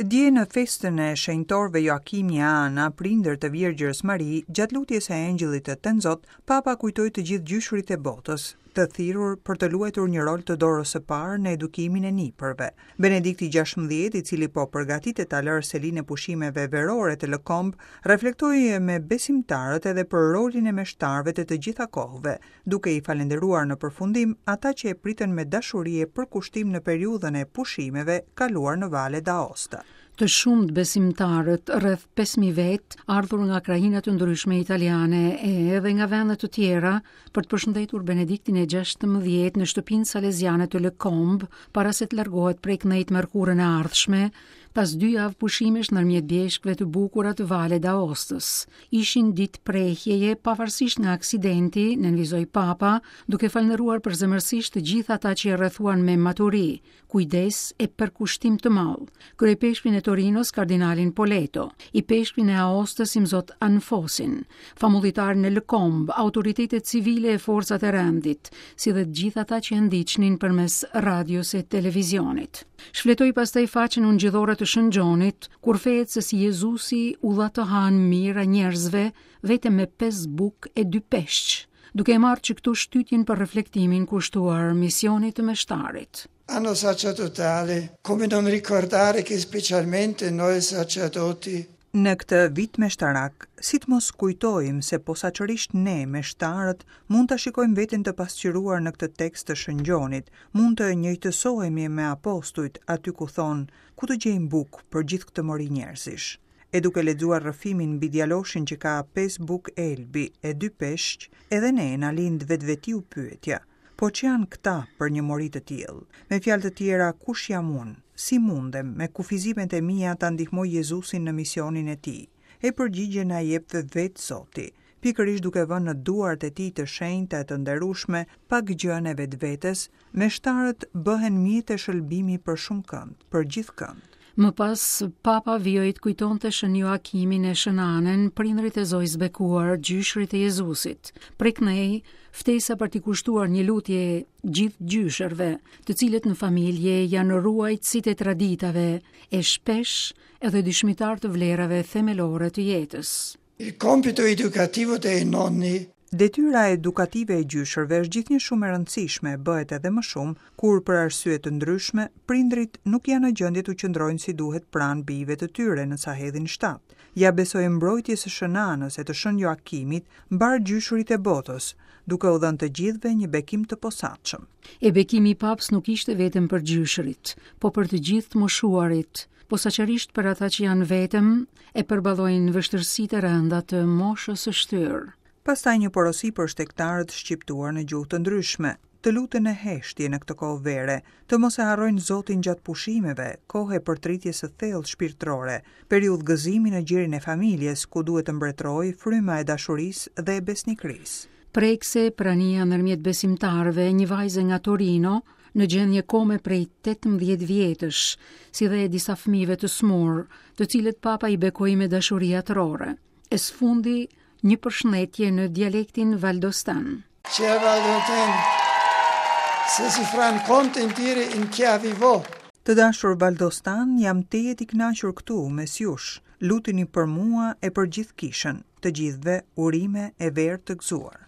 Dje në festën e shenjtorëve Joakimi e Ana, prindër të Virgjërës Mari, gjatë lutjes së Engjëllit të Tënzot, Papa kujtoi të gjithë gjyshërit e botës, të thirrur për të luajtur një rol të dorës së parë në edukimin e nipërve. Benedikti 16, i cili po përgatitet ta lërë selinë e pushimeve verore të Lëkombë, reflektoi me besimtarët edhe për rolin e meshtarëve të të gjitha kohëve, duke i falënderuar në përfundim ata që e pritën me dashuri e përkushtim në periudhën e pushimeve kaluar në Valle d'Aosta. Të shumtë besimtarët, rreth 5000 vetë, ardhur nga krahina të ndryshme italiane e edhe nga vende të tjera, për të përshëndetur Benediktin e 16 në shtëpinë saleziane të Lëkombë, para se të largohet prej këndej të mërkurën e ardhshme, pas dy javë pushimesh ndërmjet bjeshkëve të bukura të Valle d'Aostës. Ishin ditë prehjeje pavarësisht nga aksidenti, nënvizoi Papa, duke falënderuar përzemërsisht të gjithë ata që e rrethuan me maturi, kujdes e përkushtim të madh. Kryeipeshkvin e Torinos, kardinalin Poleto, ipeshkvin e Aostës Imzot Anfosin, famullitarin e Lëkombë, autoritetet civile e forcat e rendit, si dhe të gjithë ata që e ndiqnin përmes radios e televizionit. Shfletoi pastaj faqen ungjillore të Shën Gjonit, ku rrëfehet se si Jezusi u dha të hanë mijëra njerëzve vetëm me pesë bukë e dy peshq, duke e marrë që këtu shtytjen për reflektimin kushtuar misionit të meshtarit. Anno sacerdotale, come non ricordare che specialmente noi sacerdoti Në këtë vit meshtarak, si të mos kujtojmë se posaçërisht ne, meshtarët, mund ta shikojmë veten të pasqyruar në këtë tekst të Shën Gjonit, mund të njëjtësohemi me apostujt aty ku thonë, ku të gjejmë bukë për gjithë këtë mori njerëzish. E duke lexuar rrëfimin mbi djaloshin që ka pesë bukë elbi e dy peshq, edhe ne na lind vetvetiu pyetja, Po ç'janë këta për një mori të tillë? Me fjalë të tjera, kush jam unë? Si mundem, me kufizimet e mia ta ndihmoj Jezusin në misionin e tij? E përgjigjen na jep vetë Zoti, pikërisht duke vënë në duart e tij të shenjta e të nderueshme pak gjënë e vetvetes, meshtarët bëhen mjete shëlbimi për shumëkënd, për gjithkënd. Më pas, Papa vijoi të kujtonte Shën Joakimin e Shën Anën, prindërit e Zojës së Bekuar, gjyshërit e Jezusit. Prej këndej, ftesa për t'i kushtuar një lutje gjithë gjyshërve, të cilët në familje janë ruajtësit e traditave e shpesh edhe dëshmitarë të vlerave themelore të jetës. Il compito educativo dei nonni Detyra edukative e gjyshërve është gjithnjë shumë e rëndësishme, bëhet edhe më shumë, kur për arsye të ndryshme, prindërit nuk janë në gjendje t'u qëndrojnë si duhet pranë bijve të tyre në sa hedhin shtat. Ia besoj mbrojtjes së Shën Anës e të Shën Joakimit mbarë gjyshërit e botës, duke u dhënë të gjithëve një bekim të posaçëm. E bekimi i Papës nuk ishte vetëm për gjyshërit, po për të gjithë të moshuarit, posaçërisht për ata që janë vetëm e përballojnë vështirësitë e rënda të moshës së shtyrë. Pastaj një porosi për shtegtarët shqiptuar në gjuhë të ndryshme, të luten në heshtje në këtë kohë vere, të mos e harrojnë Zotin gjatë pushimeve, kohë e përtëritjes së thellë shpirtërore, periudhë gëzimi në gjirin e familjes, ku duhet të mbretërojë fryma e dashurisë dhe e besnikërisë. Prekëse prania ndërmjet besimtarëve një vajze nga Torino, në gjendje kome prej 18 vjetësh, si dhe e disa fëmijëve të sëmurë, të cilët Papa i bekoi me dashuri atërore. E së fundi, një përshëndetje në dialektin valdostan. Cher valdôtains, se si fran contentire in chiavi vo. Të dashur valdostanë, jam tejet i kënaqur këtu mes jush. Lutuni për mua e për gjithë kishën. Të gjithëve urime e verë të gëzuar.